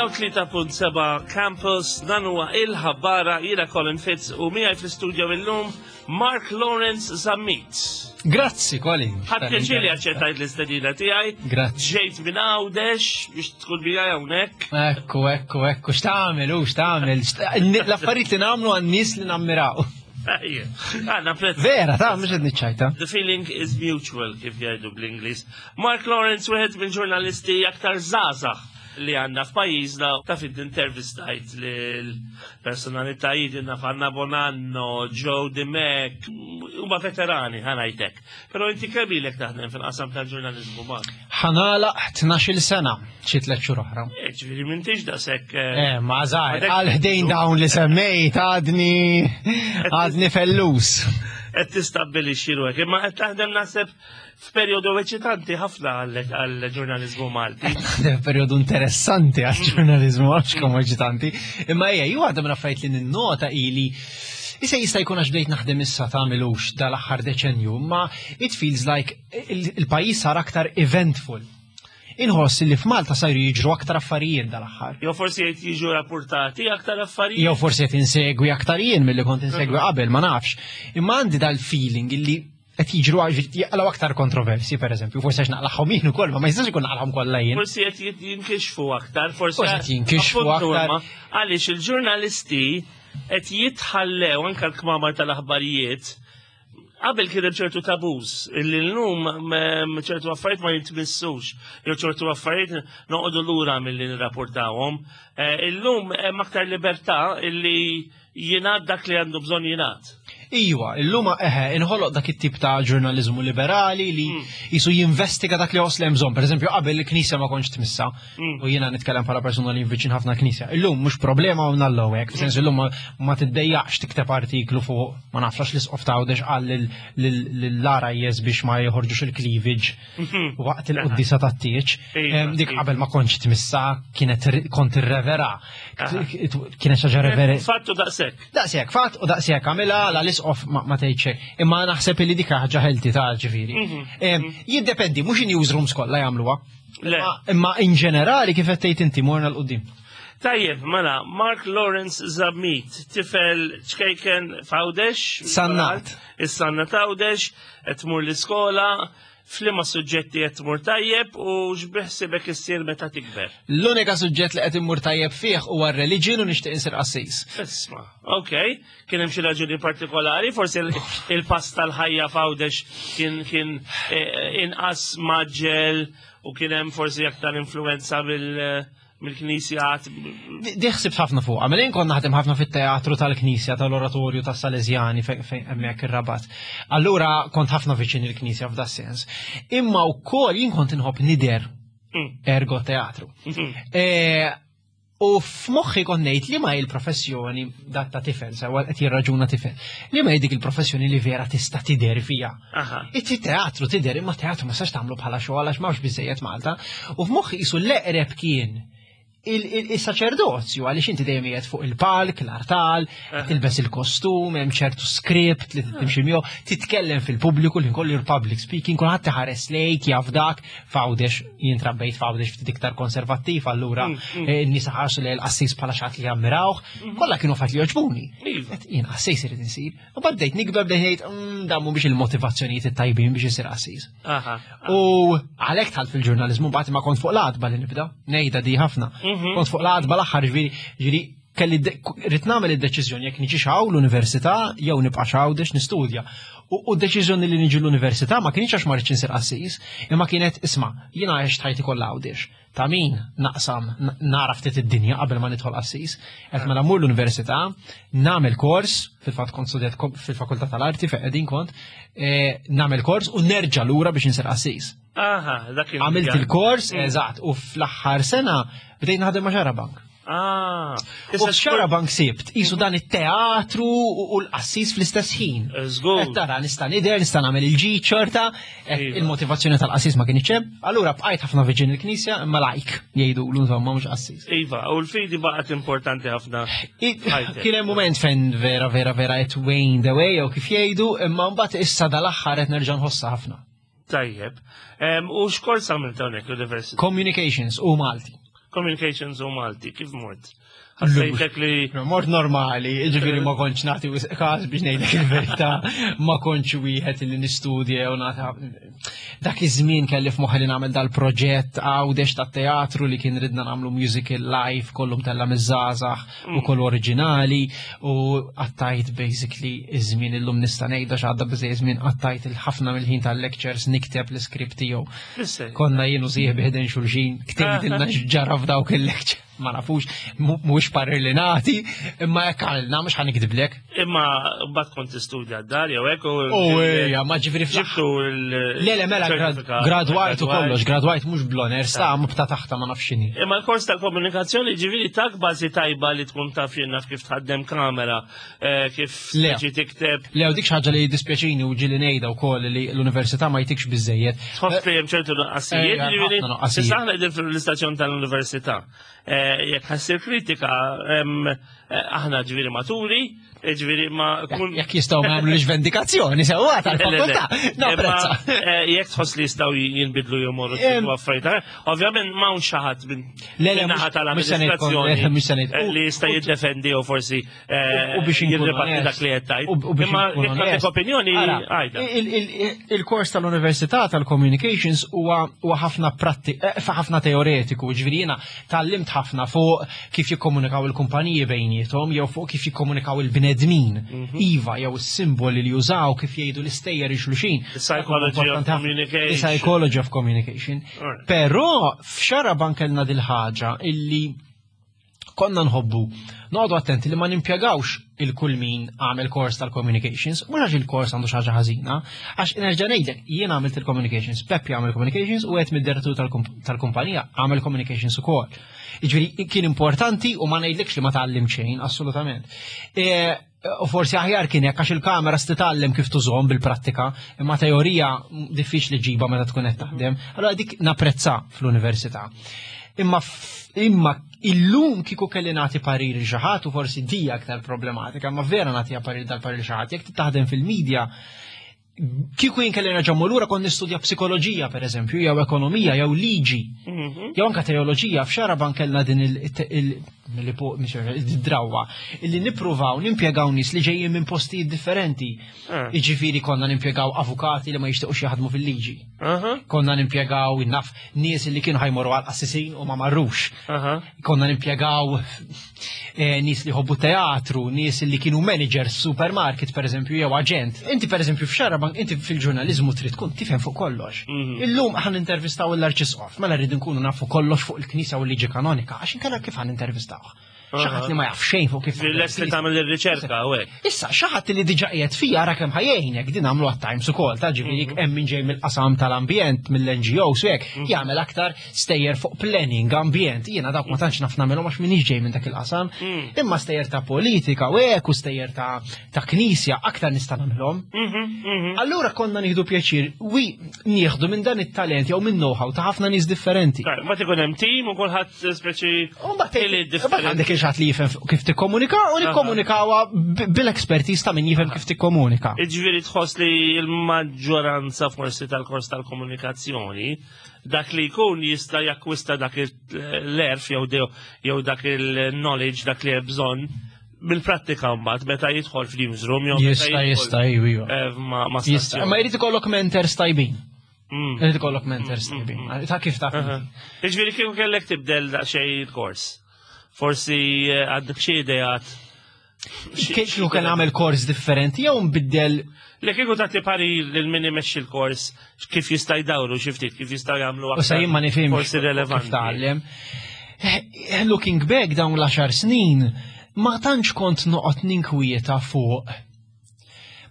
103.7 Campus, dan huwa il-ħabbara jiena Colin Fitz u miegħi fl-istudio illum Mark Lawrence Zammit. Grazzi, Colin. Ħadd pjaċir li aċċettajt l-istedina tiegħi. Grazzi. Ġejt minn Għawdex biex tkun miegħi hawnhekk. Ekku, ekku, ekku, x'tagħmel u x'tagħmel. L-affarijiet li nagħmlu għan-nies li nammiraw. Għanna prezz. Vera, ta' mhux qed niċċajta. The feeling is mutual, kif jgħidu bl-Ingliż. Mark Lawrence, wieħed mill-ġurnalisti aktar żgħażagħ li għandna f'pajjiżna, taf int intervistajt lil personalitajiet naf Anna Bonanno, Joe Dimech, huma veterani ħa ngħidlek. Però inti kemm ilek taħdem fil-qasam tal-ġurnaliżmu Mark? Ħa nagħlaq 12-il sena xi tliet xhur oħra. Eh, ġifieri m'intix daqshekk. Eh, eh ma żgħir, għal ħdejn dawn li semmejt għadni għadni fellus. Qed tistabbilixxi ruħek, imma qed taħdem naħseb F'perjodu eċitanti ħafna għall-ġurnaliżmu Malti. Perjodu interessanti għall-ġurnaliżmu għax kemm eċitanti. Imma ejja, ju għadha minn affarijiet li ninnota ili Issa jista' jkun għax bdejt naħdem issa tagħmilux dal-aħħar deċenju, ma it feels like il-pajjiż sar aktar eventful. Inħoss li f'Malta sajru jiġru aktar affarijiet dal-aħħar. Jew forsi qed jiġu rapportati aktar affarijiet. Jew forsi qed insegwi aktar jien milli kont insegwi qabel, ma nafx. Imma għandi dal-feeling illi qed jiġru jaqlaw aktar kontroversi, per eżempju, forsi għax naqlaħħom jien ukoll, ma ma jistax ikun naqlaħħom kollha jien. Forsi qed jinkixfu aktar, forsi qed jinkixfu aktar. Għaliex il-ġurnalisti qed jitħallew anke l-kmamar tal-aħbarijiet qabel kien hemm ċertu tabuż illi llum ċertu affarijiet ma jintmissux jew ċertu affarijiet noqogħdu lura milli nirrapportawhom. Eh, illum hemm aktar libertà illi jingħad dak li għandu bżonn jingħad. Iwa, illum eħe, inħoloq dak it-tip ta' ġurnaliżmu liberali li mm. jisu jinvestiga dak li għos li bżonn. Per eżempju, qabel il-knisja ma kontx tmissa, mm. u jiena nitkellem bħala persuna li viċin ħafna knisja. Illum mhux problema u nallu hekk, fis-sens illum ma tiddejjaqx tikteb artiklu fuq ma nafx l-isqof ta' għawdex qal lill-RIS biex ma joħorġux il-cleavage mhm. waqt il-quddisa tat-tieġ. Dik qabel ma kontx tmissa kienet kont irrevera. Kienet xaġa revera. Fattu daqshekk. Daqshekk, fatt u daqshekk għamilha la l-isqof ma tgħid xejn. Imma naħseb li dik ħaġa ħelti ta' ġifieri. Mhm. Jiddependi, mhux in-newsrooms kollha jagħmluha. Imma in ġenerali kif qed tgħid inti morna l-qudiem. Tajjeb, mela, Mark Lawrence Zammit, tifel ċkejken f'Għawdex. Sannat. Is-sannat Għawdex, qed tmur l-iskola, f'liema suġġetti qed tmur tajjeb u x'biħsibek issir meta tikber? L-unika suġġett li qed immur tajjeb fih huwa r-reliġjon u nixtieq insir qassis. Isma', ok, kien hemm xi raġuni partikolari, forsi il-pass tal-ħajja f'Għawdex kien kien eh, inqas maġġel u kien hemm forsi aktar influenza mill- mill-knisja. Di ħsibt ħafna fuq, għamil kont naħdem ħafna fit-teatru tal-knisja, tal-oratorju tas-Salesjani fejn hemmhekk ir-Rabat. Allura kont ħafna viċin il-knisja f'da sens. Imma wkoll jien kont inħobb nider mm. ergo teatru. Mm-hmm. E, u f'moħħi kont ngħid li ma il-professjoni dat ta' tifel, sewa qed jirraġuna tifel, li ma dik il-professjoni li vera tista' tidher fija. It-teatru tidher imma teatru ma sax tagħmlu bħala xogħol għax m'hawnx biżejjed Malta. U f'moħħi qisu l-eqreb kien il-saċerdozju għaliex inti dejjem qiegħed fuq il-palk, l-artal, tilbes il-kostum, hemm ċertu skript li timxi miegħu, titkellem fil-pubbliku li kollu public speaking, kulħadd iħares lejk jaf dak f'Għawdex jien trabbejt f'Għawdex ftit iktar konservattiv, allura mm, mm. eh, n-nies ħarsu lejn l-qassis bħala xi li jammirawh, mm-hmm. kollha kienu fatt li jogħġbuni. Iva. Jien qassis irid insir. U bad bdejt nikber bdejt ngħid mm, dan mhumiex il-motivazzjonijiet it-tajbin biex isir qassis. U għalhekk tħalt fil-ġurnaliżmu mbagħad ma kont fuq l-għatba li nibda, ngħidha di ħafna. Mhm. Kont fuq l-għatba l-aħħar ġifieri ġifieri kelli rrid nagħmel id-deċiżjoni jekk niġi hawn l-università jew nibqa' Għawdex nistudja. U d-deċiżjoni li niġi l-università ma kienx għax ma rridx insir qassis, imma kienet isma' jiena għext ħajti kollha Għawdex. Ta' min naqsam nara ftit id-dinja qabel ma nidħol qassis. Qed mela mmur l-università, nagħmel kors, fil-fatt kont studjat fil-Fakultà tal-Arti fejn qegħdin kont, e, nagħmel kors u nerġa' lura biex insir qassis. Aha, dak Għamilt il-kors, mm. eżatt, u fl-aħħar sena bdejt naħdem ma' Xarabank. Ah, issa x'Xarabank sibt, isu dan it-teatru u l-qassis fl-istess ħin. Żgur. Qed tara nista' nidher, nista' nagħmel il-ġid xorta, iva. il-motivazzjoni tal-qassis ma kienx hemm. Allura bqajt ħafna viġin il-knisja imma lajk jgħidu l insomma mhux qassis. Iva, u l-fidi baqgħet importanti ħafna. Kien hemm mument fejn vera vera vera qed wane the way jew kif jgħidu, imma mbagħad issa dal-aħħar qed nerġa' nħossha ħafna. Tajjeb. U x'kors għamilt hawnhekk l-università? Communications u Malti. Communications u Malti, kif mort? Ħassejtek li. Mort normali, ġifieri ma kontx nagħti każ biex ngħidlek il-verità, ma kontx wieħed li nistudja jew nagħta. Dak iż-żmien kelli f'moħħi li nagħmel dal-proġett għawdex tat-teatru li kien ridna nagħmlu musical live kollu mtella miż-żgħażagħ u kollu oriġinali u qattajt basically iż-żmien illum nista' ngħidha x'għadda biżejjed żmien qattajt il-ħafna mill-ħin tal-lectures nikteb l-iskript tiegħu. Konna jien u sieħbi ħdejn xulxin, ktejtilna x'ġara f'dawk il-lecture. Ma nafux, mhuwiex parir li nagħti, imma hekk għalna mhux ħa nikdiblek. Imma mbagħad kont tistudja d-dar jew hekk u. U ejja, ma ġifieri ġibtu l. Le le mela gradwajt u kollox, gradwajt mhux bl-honor, sa bta taħta ma nafx x'inhi. Imma l-kors tal-komunikazzjoni ġifieri tak bażi tajba li tkun taf jien naf kif tħaddem kamera, eh, kif ġi tikteb. Le, u dik xi ħaġa li jiddispjaċini u ġieli ngħidha wkoll li l-università ma jtikx biżejjed. Tħoss li hemm ċertu nuqqasijiet, eh, ġifieri. Issa aħna qegħdin fl-istazzjon tal-università. Eh, jekk ħassir kritika, eh, aħna ġifieri maturi, ġifieri ma kun. Jekk jistgħu ma jagħmlux vendikazzjoni sewwa tal-fakultà. Napprezza. Jekk tħoss li jistgħu jinbidlu jew morru affarijiet. Ovvjament m'hawn xi ħadd minn naħa tal-amministrazzjoni li jista' jiddefendi u forsi U biex jirribatti dak li qed tgħid. Imma jekk għandek opinjoni għajda. Il-kors tal-Università tal-Communications huwa ħafna pratti, eh, ħafna teoretiku, ġifieri jiena tgħallimt ħafna fuq kif jikkomunikaw il-kumpaniji bejniethom jew fuq kif jikkomunikaw il-bnedmin. Mhm. Iva, jew is-simboli li jużaw kif jgħidu l-istejjer xulxin. Psychology of communication. Psychology of communication. Però f'xaraban kellna dil-ħaġa illi konna nħobbu noqogħdu attenti li ma nimpjegawx il-kull min għamel kors tal-communications, mhux għax il-kors għandu xi ħaġa ħażina, għax nerġa' ngħidlek jien għamilt il-communications, Peppi għamel communications u qed mid-direttur tal-kumpanija għamel communications ukoll. Jiġifieri kien importanti u ma ngħidlekx li ma tgħallim xejn, assolutament. E, u forsi aħjar kien hekk għax il-kamera titgħallem kif tużhom bil-prattika, imma teorija diffiċli ġiba meta tkun qed taħdem. Allora dik napprezza fl-università. Imma imma illum kieku kelli nagħti parir xi ħadd u forsi di aktar problematika, ma vera nagħtiha parir dal-parir xi ħadd, jekk taħdem fil-medja, kieku jien kelli nerġa' lura kont nistudja psikoloġija pereżempju, jew ekonomija, jew liġi, mhm. jew anke teoloġija, f'xaraban kellna din il-drawa illi nippruvaw nimpjegaw nies li ġejjin minn postijiet differenti. Ah. Jiġifieri konna nimpjegaw avukati li ma jixtiequx jaħdmu fil-liġi. Konna nimpjegaw naf nies li kienu ħajmorru għal qassisin u ma marrux. Konna nimpjegaw eh, nies li ħobbu teatru, nies li kienu managers supermarket per eżempju jew aġent. Inti per eżempju f'Xarabank, inti fil-ġurnaliżmu trid tkun tifhem fuq kollox. Mhm. Illum ħan intervistaw l-Arċisqof, mela rridu nkunu nafu kollox fuq il-Knisja u l-liġi kanonika, għax inkella kif ħan intervistawh. Xi ħadd li ma jaf xejn fuq kif. Lest li tagħmel ir-riċerka u hekk. Issa xi ħadd li diġà qiegħed fija ara kemm ħajjejnek din għamlu għat-Times ukoll ta' ġifieri mhm. hemm min ġej mill-qasam tal-ambjent mill-NGOs u hekk mhm. jagħmel aktar stejjer fuq planning ambjent. Jiena dawk ma tantx naf nagħmelhom għax m'iniex ġej minn dak il-qasam. Mhm. Imma stejjer ta' politika u hekk u stejjer ta' ta' knisja aktar nista' nagħmilhom. Allura konna nieħdu pjaċir wi nieħdu minn dan it-talent jew minn know-how ta' ħafna nies differenti. Ma tikun hemm tim u kulħadd speċi differenti. Għandek il-ħadd li jifhem kif tikkomunika u nikkomunikawha bil-expertise ta' min jifhem kif tikkomunika. Iġifieri tħoss li l-maġġoranza forsi tal-kors tal-komunikazzjoni dak li jkun jista' jakkwista dak l-erf jew dak il-knowledge dak li hemm bżonn bil-prattika mbagħad meta jidħol fl-newsroom jew jista' jista' iva. Eh, ma jista' ma jrid ikollok mentors tajbin. Mm. Irid ikollok mentors mm, mm, tajbin. Ta' kif ta' Jiġifieri kieku kellek tibdel daqsxejn il-kors. Forsi eh, għandek xi ideat. Kieku kien għamel kors differenti jew nbiddel Li kieku tagħti pari lil min imexxi l-kors kif jista' jdawru xi ftit kif jista' jagħmlu aktar. U sa jien ma nifhimx. Forsi relevanti. Tgħallem. Eh, looking back dawn l-10 snin, ma tantx kont noqgħod ninkwieta fuq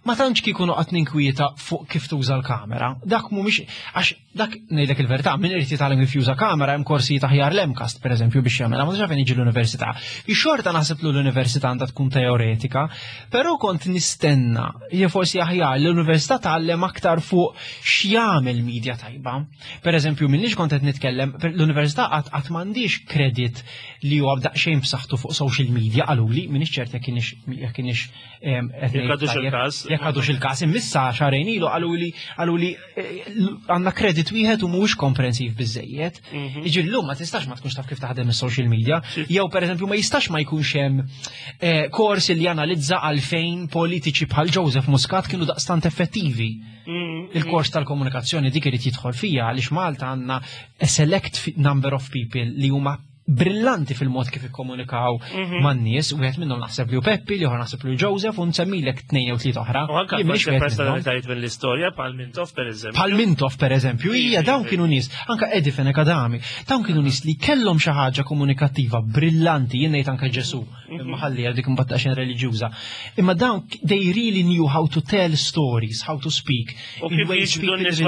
ma tantx kieku noqgħod ninkwieta fuq kif tuża l-kamera. Dak mhumiex għax dak ngħidlek il-verità, min irid jitgħallem kif juża kamera hemm korsijiet aħjar l-MCAST pereżempju biex jagħmilha, ma tafx fejn jiġi l-università. Ix-xorta naħseb li l-università għandha tkun teoretika, però kont nistenna jew forsi aħjar l-università tgħallem aktar fuq x'jagħmel media tajba. Per eżempju, minnix kont qed nitkellem, l-università qatt qatt m'għandix kredit li huwa b'daqsxejn b'saħħtu fuq social media qaluli, minix ċert jekk kienx jekk kienx jekk Jekk għadux il-każ, imissa xahrejn ilu qalu li qalu li eh, għandna kredit wieħed u mhuwiex komprensiv biżejjed. Mhm. Iġi llum ma tistax ma tkunx taf kif taħdem is-social media, jew pereżempju ma jistax ma jkunx hemm eh, kors li janalizza għalfejn politiċi bħal Joseph Muscat kienu daqstant effettivi. Mhm. Il-kors tal-komunikazzjoni dik irid jidħol fija għaliex Malta għandna a select number of people li huma brillanti fil-mod kif ikkomunikaw mhm. man-nies, wieħed minnhom naħseb li hu Peppi, li naħseb li Joseph, u nsemmilek tnejn jew tliet oħra. U anke personalitajiet mill-istorja bħal Mintoff pereżempju. Bħal Mintoff pereżempju, hija dawn kienu nies, anke Eddie Fenech Adami, dawn kienu nies li kellhom xi ħaġa komunikattiva brillanti, jien ngħid anke Ġesu, mhm. imma ħalli dik imbagħad daqsxejn reliġjuża. Imma dawn they really knew how to tell stories, how to speak. U kif jiġbdu n-nies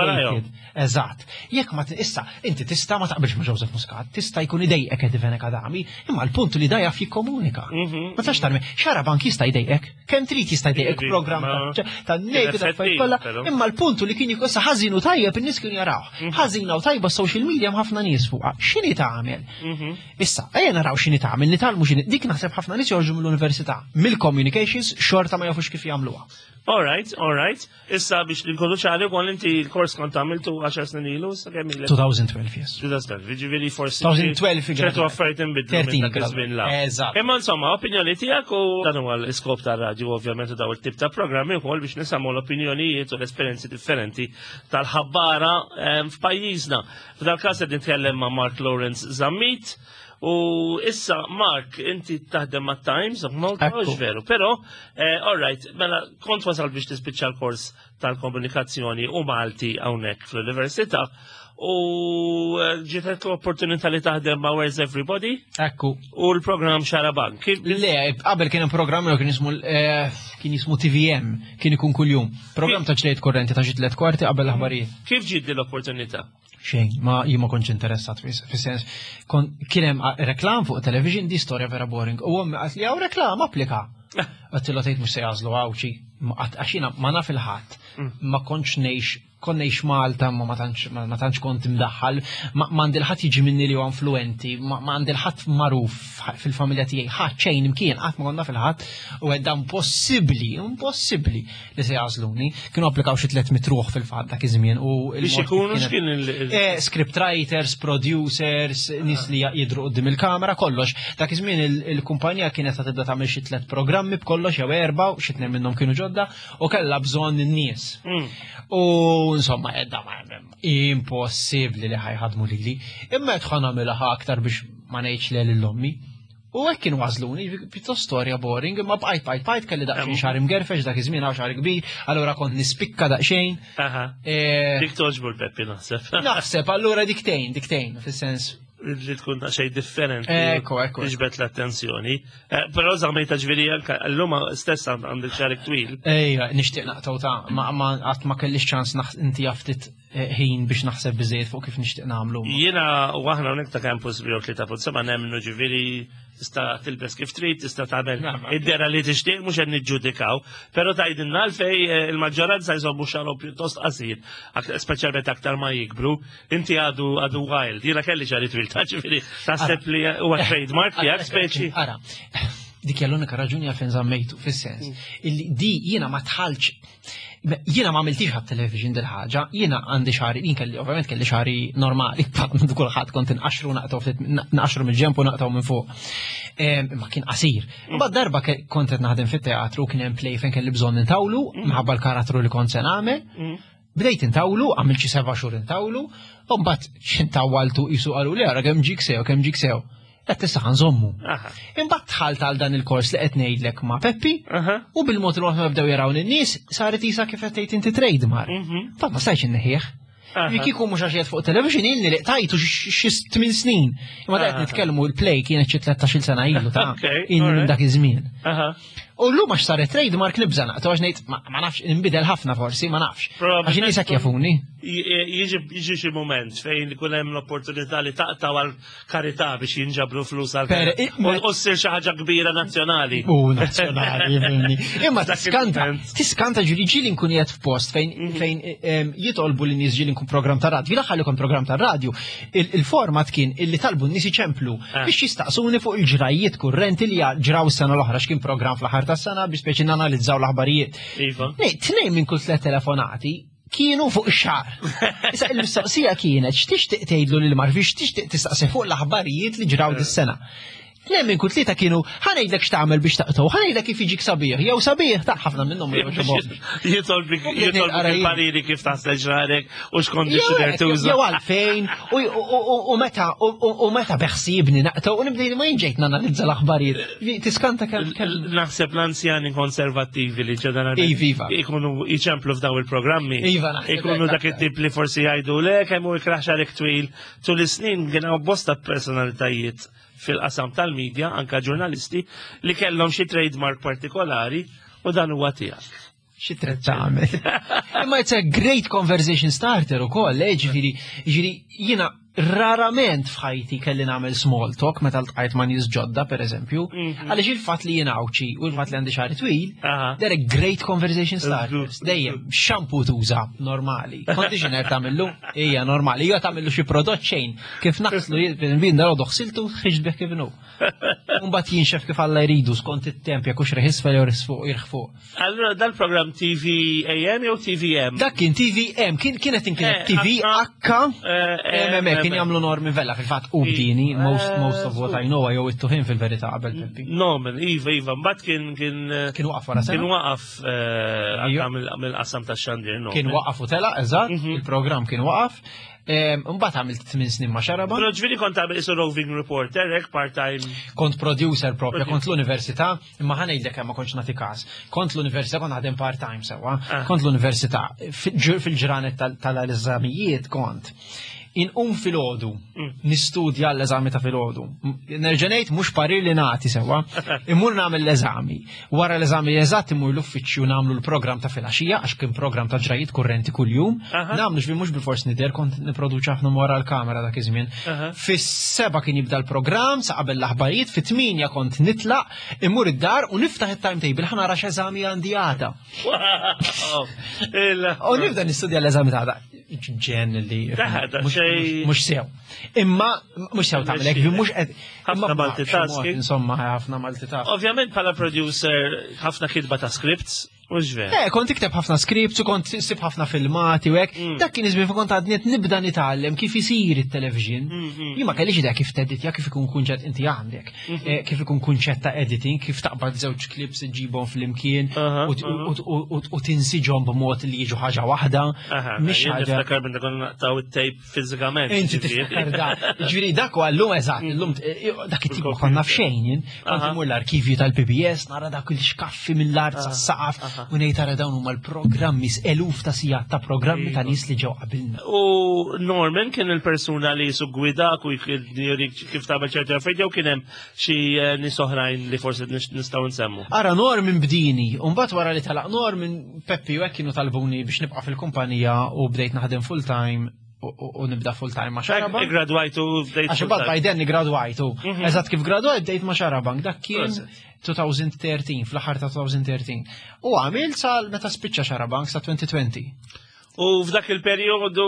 Eżatt. Jekk ma issa, inti tista' ma taqbilx ma' Joseph Muscat, tista' jkun idejqek Eddie Fenech Adami, imma l-punt li da jaf jikkomunika. Mhm. Ma tax tarmi, xarabank jista' jdejqek, kemm trid jista' jdejqek programm ta' nejk ta' kollha, imma l-punt li kien issa ħażin u tajjeb in-nies kienu jaraw. Mhm. Ħażina u tajba social media hemm ħafna nies fuqha. X'inhi tagħmel? Mhm. Issa, ejja naraw x'inhi tagħmel, nitgħallmu x'inhi. Dik naħseb ħafna nies joħorġu mill-università, mill-communications xorta ma jafux kif jagħmluha. All right, all right. Issa biex li nkunu ċari wkoll inti l-kors kont għamiltu 10 snin ilu, sa kemm ilek? 2012, yes. 2012, jiġifieri forsi. 2012, ċertu affarijiet inbidlu minn dak iż-żmien la. Eżatt. Imma insomma, opinjoni tiegħek u dan huwa l-iskop tar-radju ovvjament u daw it-tip ta' programmi wkoll biex nisimgħu l-opinjonijiet u l-esperjenzi differenti tal-ħabbara ehm, f'pajjiżna. F'dal każ qed nitkellem ma' Mark Lawrence Zammit. U issa, Mark, inti taħdem ma' Times of Malta, veru, pero, eh, all right, mela, kont wasal biex tispiċċa l-kors tal-komunikazzjoni u Malti hawnhekk fl-Università u eh, ġietet l-opportunità li taħdem ma' Where's Everybody? Ekku. U l-programm Xarabank. Le, qabel kien hemm programm kien jismu eh, kien jismu TVM, kien ikun kuljum. Programm ta' ġlejt korrenti ta' xi tliet kwarti qabel l-aħbarijiet. Kif ġiet l-opportunità? Xejn, ma jien ma kontx interessat fis-sens. Kien hemm reklam fuq television di storja vera boring. U ommi qalt li hawn reklam applika. Għattilha tgħid mhux se jagħżlu għawċi. Għax jiena ma naf il-ħadd. Mm. Ma kontx ngħix kont ngħix Malta ma ma tantx kont imdaħħal, ma għandi l-ħadd jiġi minni li huwa influenti, ma għandi l-ħadd magħruf fil-familja tiegħi, ħadd xejn imkien qatt ma konna fil-ħadd u għedda impossibbli, impossibbli li se jagħżluni. Kienu applikaw xi 300 ruħ fil-fatt dak iż-żmien u biex ikunu x'kien il eh, script writers, producers, nies li jidru qudiem il-kamera, kollox. Dak iż-żmien il-kumpanija kienet ta' tibda tagħmel xi tliet programmi b'kollox jew erba' u xi tnejn minnhom kienu ġodda u kellha bżonn in-nies. Mm. U insomma edda ma impossibbli li ħajħadmu lili. Imma qed nagħmilha aktar biex ma ngħidx le lil ommi. U hekk kienu għażluni, pjuttost storja boring, imma bqajt bqajt bqajt kelli daqsxejn xahar imgerfex dak iż-żmien hawn xahar kbir, allura kont nispikka daqsxejn. Eh, dik toġbu l-Peppi naħseb. Naħseb, allura diktejn, diktejn, fis-sens. Li tkun daqsxejn differenti. Ekku, ekku. Tiġbed l-attenzjoni. Eh, però żammejta ġifieri anke llum stess għandek xahar twil. Ejja, nixtieq naqtaw ta' ma qatt ma kellix ċans inti ftit Eh, ħin biex naħseb biżejjed fuq kif nixtieq nagħmlu. Jiena u aħna hawnhekk ta' campus bi 3.7 nemmnu ġifieri tista' tilbes kif trid, tista' tagħmel id-dera li tixtieq mhux qed niġġudikaw, però tgħidilna għalfej eh, il-maġġoranza jżommu xagħarhom pjuttost qasir, speċjalment aktar ma jikbru, inti għadu għadu wild, jiena kelli xagħri twil ta' ġifieri taħseb li huwa trademark tiegħek speċi. Ara, dik hija l-unika raġuni għalfejn żammejtu fis-sens mm. illi di jiena ma tħalx Jiena ma għamiltix għat-television dil ħaġa, jiena għandi xari, jien kelli ovvjament kelli xari normali, kulħadd kont inqaxru naqtaw ftit naqxru mill-ġemp u naqtaw minn fuq. Imma kien qasir. Imbagħad darba kont qed naħdem fit-teatru kien hemm play fejn kelli bżonn intawlu mm. minħabba l-karattru li kont se nagħmel. Mm. Bdejt intawlu, għamilt xi seba' xhur intawlu, u mbagħad x'intawaltu qisu qalu li ara kemm ġik sew, kemm ġik sew. Qed tista' nżommu. Imbagħad dħalt għal dan il-kors li qed ngħidlek ma' Peppi u bil-mod il-mod ma bdew jaraw in-nies saret isa kif qed tgħid inti trademark. Mhm. Fa ma stajtx inneħħih. Li kieku mhux għax fuq television ilni li qtajtu xi tmien snin. Imma qed nitkellmu l-play kienet xi 13-il sena ilu ta' ilni minn dak iż-żmien. U llum għax saret trademark nibża' naqta' għax ngħid ma nafx inbidel ħafna forsi, ma nafx. Għax in-nies hekk jafuni. Jiġi xi mument fejn ikun hemm l-opportunità li taqta' għal karità biex jinġabru flus għal u ssir xi ħaġa kbira nazzjonali. U nazzjonali, Imma tiskanta, tiskanta ġili ġili nkun qiegħed f'post fejn mhm. fejn jitolbu li nies ġili nkun programm ta' radju. L-aħħar li kont programm ta' radju, il-format kien illi talbu n-nies iċemplu ah. biex jistaqsuni fuq il-ġrajiet kurrenti li ġraw s-sena l-oħra x'kien programm fl-aħħar fl-aħħar tas-sena biex speċi nanalizzaw l-aħbarijiet. Iva. Tnejn minn kull tliet telefonati kienu fuq ix-xagħar. Issa il-mistoqsija kienet x'tixtieq tgħidlu lil Marvi x'tixtieq tistaqsi fuq l-aħbarijiet li ġraw dis-sena. Tnejn minn kull tlieta kienu ħa ngħidlek x'tagħmel biex taqtgħu, ħa ngħidlek kif jiġik sabiħ, jew sabiħ ta' ħafna minnhom ma jogħġobhomx. Jitolbik jitolbik il-pariri kif taħsel xagħrek u x'conditioner tuża. Jew għalfejn u meta u meta beħsiebni naqtgħu u nibdej ma jien ġejt nanalizza l-aħbarijiet. Tiskanta kemm Naħseb l-anzjani konservattivi li ġeneralment iva, iva. ikunu jċemplu f'daw il-programmi. Iva, Ikunu dak it-tip li forsi jgħidu le kemm hu ikraħ xagħrek twil. Tul is-snin kien hawn bosta personalitajiet fil-qasam tal-medja, anka ġurnalisti, li kellhom xi trademark partikolari u dan huwa tiegħek. Xi trid tagħmel. Imma it's a great conversation starter ukoll, eh, ġifieri, ġifieri jiena rarament f'ħajti kelli nagħmel small talk meta ltqajt ma' nies ġodda pereżempju, għaliex il-fatt li jien Għawdxi u l-fatt li għandi xagħri twil, they're a great conversation starters. Dejjem, shampoo tuża normali, conditioner tagħmillu, hija normali, jew tagħmillu xi prodott xejn, kif naħslu jien dalgħodu ħsiltu ħriġt bih kif inhu. Mbagħad jinxef kif Alla jridu skont it-temp jekk hux reħ isfel jew fuq jirħ fuq. Allura dal-programm TV AM jew TVM? Dak kien TVM, kien kienet inkienet Eh, TV H eh, M M kien jagħmlu Norman Vella fil-fatt u bdini most of what I know jew it-tuħin fil-verità qabel Peppi. Norman, iva, iva, mbagħad kien kien Kien waqaf wara kien sena. waqaf anka mill-qasam tax-xandir, no. Kien waqaf u tela, eżatt, il-programm kien waqaf. Mbagħad għamilt 8 snin ma' Xarabank. Però ġifieri kont għamil isu roving reporter, hekk part-time. Kont producer propja, kont l-università, imma ħa ngħidlek hemm ma kontx nagħti każ. Kont l-università kont naħdem part-time sewwa. Kont l-università fil-ġranet tal-eżamijiet kont. Inqum filgħodu, nistudja l-eżami ta' filgħodu. Nerġa' ngħid mhux parir li nagħti sewwa, immur nagħmel l-eżami. Wara l-eżami eżatt immur l-uffiċċju nagħmlu l-programm ta' filgħaxija għax kien programm ta' ġrajiet kurrenti kuljum. Nagħmlu ġifieri mhux bilfors nidher kont nipproduċi ħafna wara l-kamera dak iż-żmien. Fis-7 kien jibda l-programm sa qabel l-aħbarijiet, fit-8 kont nitlaq, immur id-dar u niftaħ it-timetable ħa nara x'eżami għandi għada. Wow. U nibda nistudja l-eżami ta' għada. Ġen li Da, xej- mhux sew. Imma mhux sew tagħmel hekk, mhux qed Ħafna imma multitasking. Insomma, ħafna multitasking. Ovvjament bħala producer ħafna kitba ta' scripts, mhux vera. Eh, kont ikteb ħafna scripts u kont sib ħafna filmati u hekk. Dak kien iż-żmien fejn kont għadni qed nibda nitgħallem kif isir it-television. Jien ma kellix idea kif teditja, kif ikun kunċett inti għandek. Kif ikun kunċett ta' editing, kif taqbad żewġ clips iġġibhom flimkien u tinsiġhom b'mod li jiġu ħaġa waħda. Mhix Jien ħaġa. niftakar meta konna naqtaw it-tape fiżikament. Inti ġifieri. tiftakar da. Ġifieri dak huwa llum eżatt, illum dak it-tip ma konna f'xejn jien. Kont imur l-arkivju tal-PBS, nara dak il-xkaffi mill-art sas-saqaf u ngħid tara dawn huma l-programmi eluf ta' sigħat ta' programmi ta' nies li ġew qabilna. U Norman kien il-persuna li su gwidak u jurik kif tagħmel ċerti affarijiet jew kien hemm xi nies oħrajn li forsi nistgħu nsemmu. Ara Norman bdini, u mbagħad wara li talaq Norman, Peppi u hekk kienu talbuni biex nibqa' fil-kumpanija u bdejt naħdem full time u nibda full time ma' Xarabank. Gradwajtu bdejt. Għax imbagħad by then gradwajtu. Eżatt kif gradwajt bdejt ma' Xarabank, dak kien Proset. 2013, fl-aħħar ta' 2013. U għamilt sa meta spiċċa Xarabank sa 2020. U f'dak il-perjodu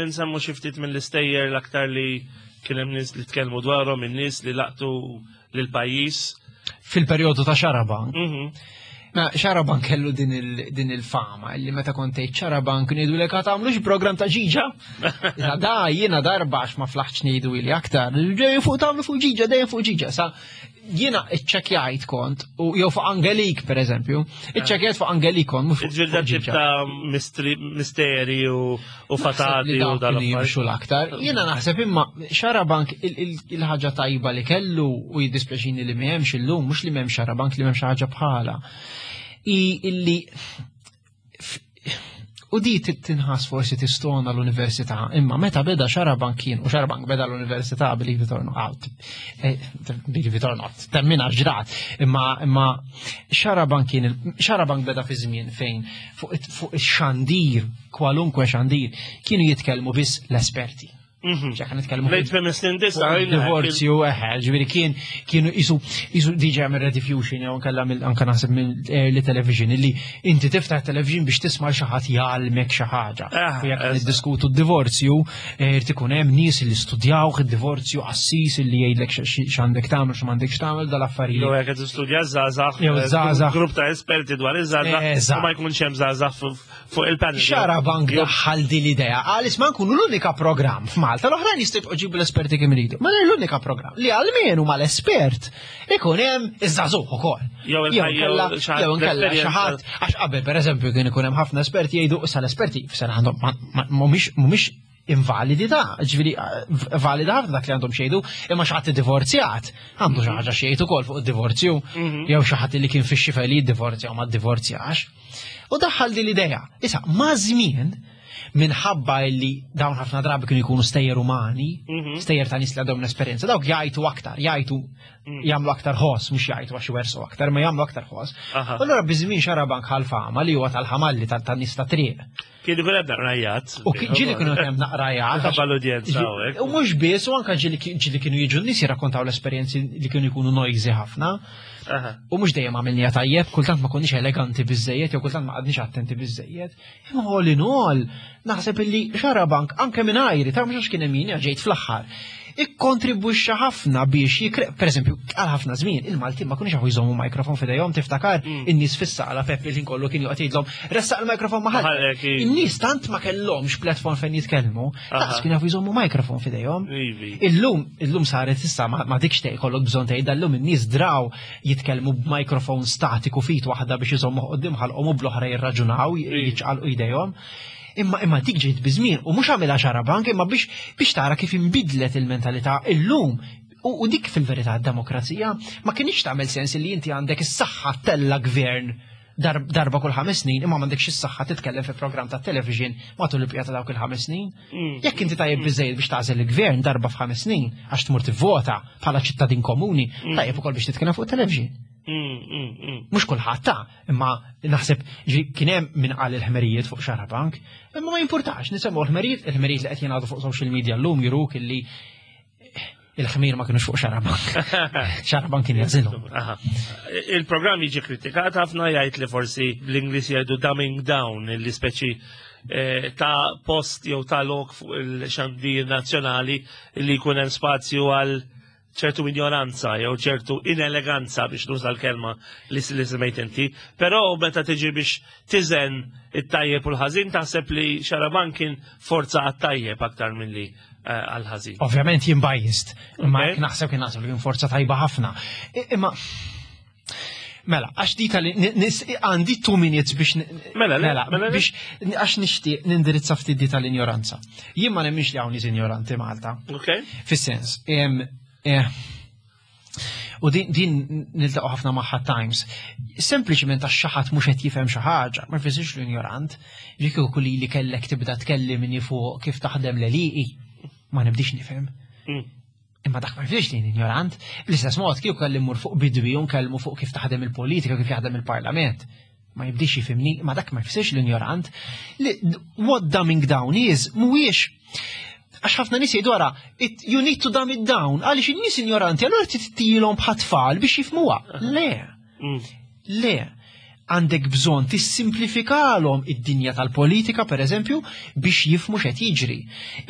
nsemmu xi ftit mill-istejjer l-aktar li kien hemm nies li tkellmu dwarhom, in-nies li laqtu lil pajjiż. Fil-perjodu ta' Xarabank. Ma Xarabank kellu din il-fama li meta kont tgħid Xarabank ngħidu lek tagħmlux program ta' ġiġa. Issa da jiena darba għax ma flaħtx ngħidu ili aktar. Dejjem fuq tagħmlu fuq ġiġa, dejjem fuq ġiġa. Sa jiena iċċekkjajt kont u jew fuq Angelik pereżempju, iċċekkjajt fuq Angelik kont mhux fuq Ġifieri dan tip Ġiġa. ta' misteri u fatati Naħseb li u dawk dal kienu jimxu l-aktar. Jiena naħseb imma Xarabank il-ħaġa tajba li kellu u jiddispjaċini li m'hemmx illum, mhux li m'hemmx Xarabank li m'hemmx ħaġa bħala. I illi u di tinħas forsi tistona l-università, imma meta beda Xarabank kien, u Xarabank beda l-università, believe it or not, believe it or not, temmina ġrat, imma Xarabank kien, Xarabank beda fi żmien fejn fuq ix-xandir, kwalunkwe xandir, kienu jitkellmu biss l-esperti. Ġa kan nitkellmu Lejt minn snin disa, divorzju, eħe, ġifieri kien kienu isu isu diġà minn Rediffusion jew nkella mill anke naħseb minn early television illi inti tiftaħ television biex tisma' xi ħadd jgħallmek xi ħaġa. Ah, U jekk eżatt. niddiskutu d-divorzju, eh, irid ikun hemm nies li studjaw id-divorzju qassis illi jgħidlek x'għandek tagħmel x'm'għandekx tagħmel dal-affarijiet. Jew jekk qed tistudja żgħażagħ, Jew żgħażagħ. grupp ta' esperti dwar iż-żgħażagħ, Eżatt. u ma jkunx hemm żgħażagħ fuq il-panel. Xarabank daħħal din l-idea, għalis ma nkunu l-unika programm f'Malta, l-oħrajn jistgħu jġibu l-esperti kemm iridu. Ma l-unika programm li għalmenu mal-espert ikun hemm iż-żagħżugħ ukoll. Jew il-ħajja, xi ħadd Jew nkella xi l-esperjenza. ħadd għax qabel pereżempju kien ikun hemm ħafna esperti jgħidu issa l-esperti f'sena għandhom mhumiex mhumiex invalidi ta' ġifieri valida ħafna dak li għandhom xejdu, imma xi ħadd iddivorzjat għandu xi ħaġa xejn ukoll fuq id-divorzju, jew xi ħadd li kien fix-xifer li jiddivorzja u ma ddivorzjax. U daħħal din l-idea. Issa, ma' żmien, minħabba li dawn ħafna drabi kienu jkunu stejjer umani, stejjer ta' nies li għandhom l-esperjenza, dawk jgħajtu aktar, jgħajtu jagħmlu aktar ħoss, mhux jgħajtu għax iwersu aktar, ma jagħmlu aktar ħoss. Aha. U allura biż-żmien Xarabank ħal fama li huwa tal-ħamalli tan-nies ta' triq. Kien ikun hemm naqrajat. U ġieli kienu hemm naqrajat. Ħabba l-udjenza hawnhekk. U mhux biss, u anke ġieli ġieli kienu jiġu n-nies jirrakkontaw l-esperjenzi li kienu jkunu noisy ħafna. Aha. U mhux dejjem għamilniha tajjeb, kultant ma konniex eleganti biżejjed, jew kultant ma qgħadniex attenti biżejjed. Imma all in all, naħseb illi Xarabank anke minn ajri, ta' mhux għax kien hemm jien ġejt fl-aħħar. Ikkontribwixxa ħafna biex jikre, per eżempju, għal ħafna żmien il-Maltin ma kunux jafu jżommu mikrofon f'idejhom, tiftakar in-nies fis-sala Peppi li kollu kien joqgħod jgħidlhom ressaq il-mikrofon Maħallek, maħallek. iva. In-nies tant ma kellhomx platform fejn jitkellmu, daqs kienu jafu jżommu mikrofon f'idejhom. Ivi. Illum, illum saret issa ma dikx tgħid kollok bżonn tgħid illum in-nies draw jitkellmu b'mikrofon statiku fit waħda biex iżommu quddiem ħalqhom u bl-oħra jirraġunaw, jiċċaqalqu jdejhom. Imma dik ġiet biżmien u mhux għamilha Xarabank imma biex tara kif inbidlet il-mentalità illum. U dik fil-verità d-demokrazija ma kienx tagħmel sens li inti għandek is-saħħa tella gvern darba kull 5 snin imma m'għandekx is-saħħa titkellem fi programm ta' television matul il-bqija ta' dawk il-5 snin. Jekk inti tajjeb biżejjed biex tagħżel il-gvern darba f'ħames snin għax tmur tivvota bħala ċittadin komuni, tajjeb ukoll biex titkellem fuq television. Mhux kulħadd ta' imma naħseb ġi kien hemm min qal il-ħmerijiet fuq Xarabank, imma ma jimpurtax nisemgħu l-ħmerijiet, il-ħmerijiet li qed jingħadu fuq social media llum juruk illi il-ħmir ma kienux fuq Xarabank. Xarabank kien jagħżilhom. Aha. Il-programm jiġi kritikat ħafna jgħid li forsi bl-Ingliż jgħidu dumbing down, illi speċi ta' post jew ta' lok fuq il-xandir nazzjonali li jkun hemm spazju għal ċertu ignoranza jew ċertu ineleganza biex nuża l-kelma li semmejt inti, però meta tiġi biex tiżen it-tajjeb u l-ħażin taħseb li Xarabank kien forza għat-tajjeb aktar milli għal-ħażin. Ovvjament jien biased, imma Ok. jekk naħseb kien naħseb li kien forza tajba ħafna. Imma Mela, għax di tal għandi 2 minutes biex Mela, le, mela, le. biex għax nixtieq nindirizza ftit di tal-ignoranza. Jien ma nemminx li hawn nies ignoranti Malta. Ok? Fis-sens, u din niltaqgħu ħafna magħha times. Sempliċement għax xi ħadd mhux qed jifhem xi ħaġa, ma jfissirx li ignorant. Ġieli kieku li kellek tibda tkellimni fuq kif taħdem l-għelieqi, ma nibdix nifhem. Imma dak ma jfissirx li ignorant. Bl-istess mod kieku kelli mmur fuq bidwi u nkellmu fuq kif taħdem il-politika, kif jaħdem il-parlament. Ma jibdix jifhimni, ma dak ma jfissirx l-ignorant. What dumbing down is, mhuwiex għax ħafna nies jgħidu ara, you need to dumb it down, għaliex in-nies ignoranti, allura tittilhom bħat-tfal biex jifhmuha. Le. Le. Għandek bżonn tissimplifikalhom id-dinja tal-politika, per eżempju, biex jifhmu x'qed jiġri.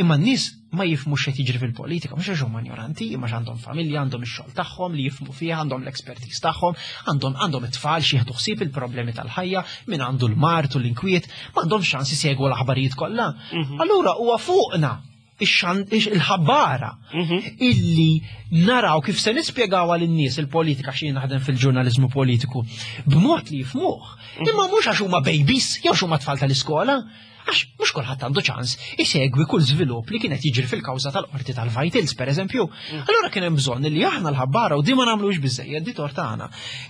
Imma n-nies ma jifhmu x'qed jiġri fil-politika, mhux għax huma ignoranti, imma għax għandhom familja, għandhom ix-xogħol tagħhom li jifhmu fih, għandhom l-expertise tagħhom, għandhom it-tfal xi jieħdu ħsieb il-problemi tal-ħajja, min għandu l-mard u l-inkwiet, m'għandhomx ċans isegwu l-aħbarijiet kollha. Allura huwa fuqna il-ħabbara illi naraw kif se nispjegaw għal-nies il-politika xi naħdem fil-ġurnaliżmu politiku b'mod li jifhmuh. Imma mhux għax huma babies jew huma tfal tal-iskola, għax mhux kulħadd għandu ċans isegwi kull żvilupp li kienet jiġri fil-kawża tal-qorti tal-Vitals, per eżempju. Allura kien hemm bżonn li aħna l-ħabbara u di ma nagħmlux biżejjed di tort tagħna.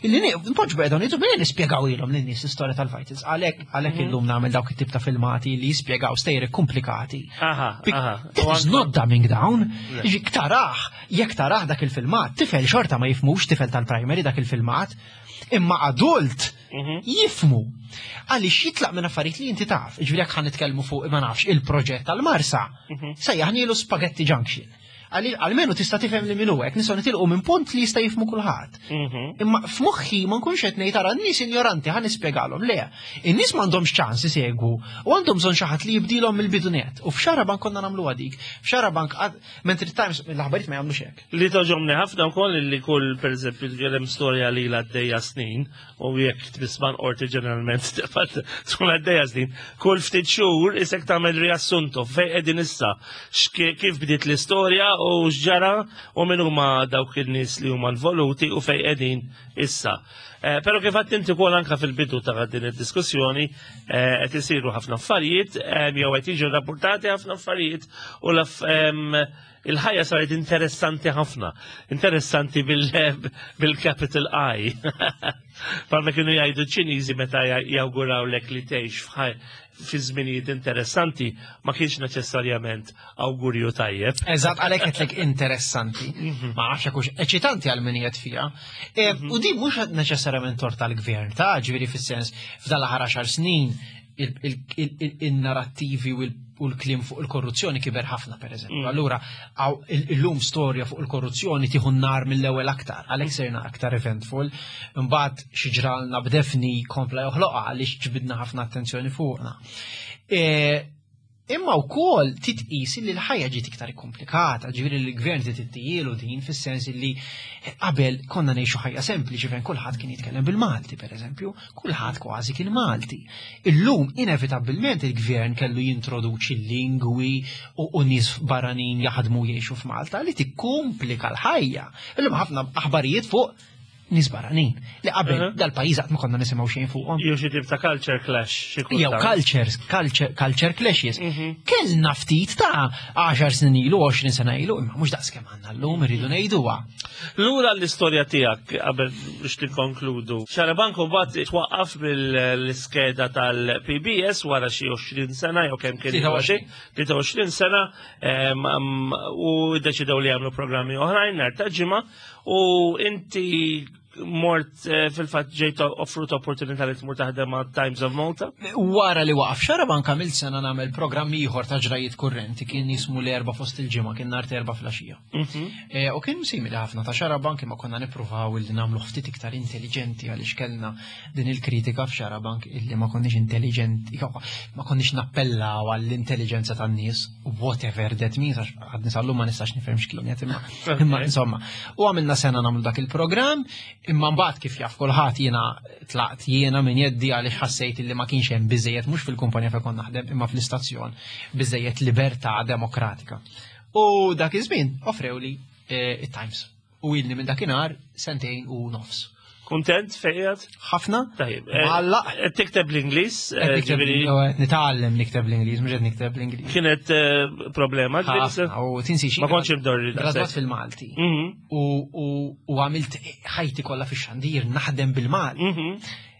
Illi npoġġu bqegħdu ngħidu bejn nispjegaw ilhom lin-nies l-istorja tal-Vitals. Għalhekk illum nagħmel dawk it-tip ta' filmati li jispjegaw stejjer komplikati. That is not dumbing down. Jekk taraħ dak il-filmat, tifel xorta ma jifhmux, tifel tal-primary dak il-filmat, imma adult Jifhmu. Għaliex jitlaq minn affarijiet li inti taf. Ġifieri jekk ħa nitkellmu fuq ma nafx il-proġett tal-Marsa, sejjaħnielu Spaghetti Junction. Almenu tista' tifhem li min hu hekk, nistgħu nitilqu minn punt li jista' jifhmu kulħadd. Imma f'moħħi ma nkunx qed ngħid ara n-nies ignoranti ħa nispjegalhom. Le, in-nies m'għandhomx ċans isegwu u għandhom bżonn xi ħadd li jibdilhom mill-bidu net. U f'Xarabank konna nagħmluha dik. F'Xarabank mentri Times l-aħbarijiet ma jagħmlux hekk. Li togħġobni ħafna wkoll li kull pereżempju tkellem storja li għaddejja snin u jekk tmisman qorti ġeneralment tkun għaddejja snin, kull ftit xhur isek tagħmel riassunto fejn qegħdin issa, kif bdiet l-istorja u x'ġara u min huma dawk in-nies li huma involuti u fejn qegħdin issa. Però kif għedt inti wkoll anke fil-bidu ta' din id-diskussjoni qed isiru ħafna affarijiet jew qed jiġu rapportati ħafna affarijiet u il-ħajja saret interessanti ħafna, interessanti bil-capital I. Bħalma kienu jgħidu ċ-Ċiniżi meta jawgurawlek li tgħix fi żminijiet interessanti, ma kienx neċessarjament awgurju tajjeb. Eżatt, għalhekk qedlek interessanti. Ma nafx hekk hux eċitanti għal min qiegħed fiha. U di mhux neċessarjament tort tal-gvern, ta' ġifieri fis-sens f'dan l-aħħar 10 snin il-narrattivi u l-kliem fuq il-korruzzjoni kiber ħafna, per eżempju. Allura, illum storja fuq il-korruzzjoni tieħu nar mill-ewwel aktar, għalhekk sirna aktar eventful. Imbagħad xi ġralna b'Daphne kompla joħloqha għaliex ġbidna ħafna attenzjoni fuqna. Imma wkoll titqis li l-ħajja ġiet iktar komplikata, ġifieri li l-gvern tittijielu din fis-sens li qabel konna ngħixu ħajja sempliċi fejn kulħadd kien jitkellem bil-Malti, per eżempju, kulħadd kważi kien Malti. Illum inevitabbilment il-gvern kellu jintroduċi lingwi u nies barranin jaħdmu jgħixu f'Malta li tikkomplika l-ħajja. Illum ħafna aħbarijiet fuq nies barranin li qabel dal-pajjiż qatt ma konna nisimgħu xejn fuqhom. Jew xi tip ta' culture clash. Xi Jew kultant. culture clashes. Kellna ftit ta' 10 snin ilu, 20 sena ilu, imma mhux daqs kemm għandna llum irridu ngħiduha. Lura l-istorja tiegħek qabel biex tikkonkludu. Xarabank mbagħad twaqqaf mill-iskeda tal-PBS wara xi 20 sena jew kemm kien 23. 23 sena u ddeċidew li jagħmlu programmi oħrajn nhar ta' ġimgħa u inti mort fil-fatt ġejt offrut opportunità li tmur taħdem ma' Times of Malta. Wara li waqaf Xarabank għamilt sena nagħmel programm ieħor ta' ġrajiet kurrenti kien jismu l-Erbgħa fost il-ġimgħa, kien nhar Erbgħa filgħaxija. U kien simili ħafna ta' Xarabank imma konna nippruvaw illi nagħmlu ftit iktar intelligenti għaliex kellna din il-kritika f'Xarabank illi ma konniex intelligenti, ma konniex nappellaw għall-intelligenza tan-nies, whatever that means, għax għadni sal-lum ma nistax nifhem x'kienet imma insomma. U għamilna sena nagħmlu dak il-programm, imma mbagħad kif jaf kulħadd jiena tlaqt jiena minn jeddi għaliex ħassejt illi ma kienx hemm biżejjed mhux fil-kumpanija fejn kont naħdem imma fl-istazzjon biżejjed libertà demokratika. U dak iż-żmien offrewli it-Times. U ilni minn dakinhar sentejn u nofs. Kuntent fejjed? Ħafna. Tajjeb. Malla. Qed tikteb l-Ingliż, Qed nikteb ġifieri l-Ingliż, qed nitgħallem nikteb l-Ingliż, mhux qed nikteb l-Ingliż. Kienet problema, ġifieri Ħafna, u tinsi xi Ma kontx imdorri Gradwat daqshekk. fil-Malti. U għamilt ħajti kollha fix-xandir naħdem bil-Malti.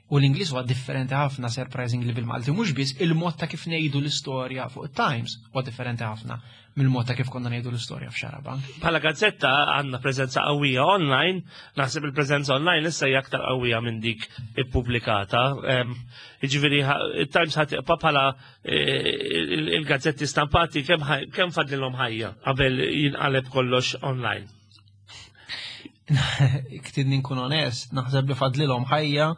U l-Ingliż huwa differenti ħafna surprisingly bil-Malti, mhux biss il-mod ta' kif ngħidu l-istorja fuq it-Times huwa differenti ħafna mill-mod ta' kif konna ngħidu l-istorja f'Xarabank. Bħala gazzetta għandna preżenza qawwija online, naħseb il-preżenza online issa hija aktar qawwija minn dik ippubblikata. Jiġifieri it-Times ħa tibqa' bħala il-gazzetti stampati kemm fadlilhom ħajja qabel jinqaleb kollox online. Ktidni nkun onest, naħseb li fadlilhom ħajja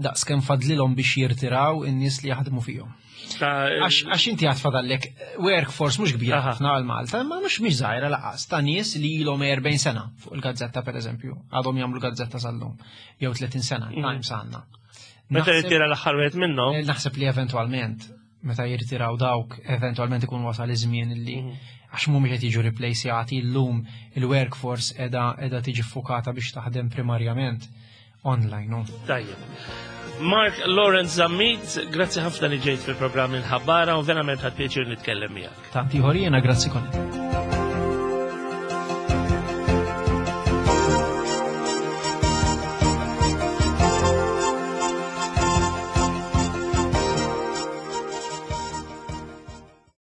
daqs kemm fadlilhom biex jirtiraw in-nies li jaħdmu fihom. Għax inti għad fadallek workforce mhux kbira ħafna għal Malta, imma mhux żgħira laqas ta' nies li ilhom 40 sena fuq il-gazzetta pereżempju, għadhom jagħmlu gazzetta sal-lum, jew 30 sena, Times għandna. Meta jirtira l-aħħar wieħed minnhom? Naħseb li eventwalment, meta jirtiraw dawk, eventwalment ikun wasal iż-żmien li għax mhumiex qed jiġu replaceati llum il-workforce qiegħda tiġi ffukata biex taħdem primarjament online, no? Tajjeb. Mark Lawrence Zammit, grazzi ħafna li ġejt fil-programm il-ħabbara u verament ħadt pjaċir nitkellem miegħek. Tanti ieħor jiena, grazzi Konnie.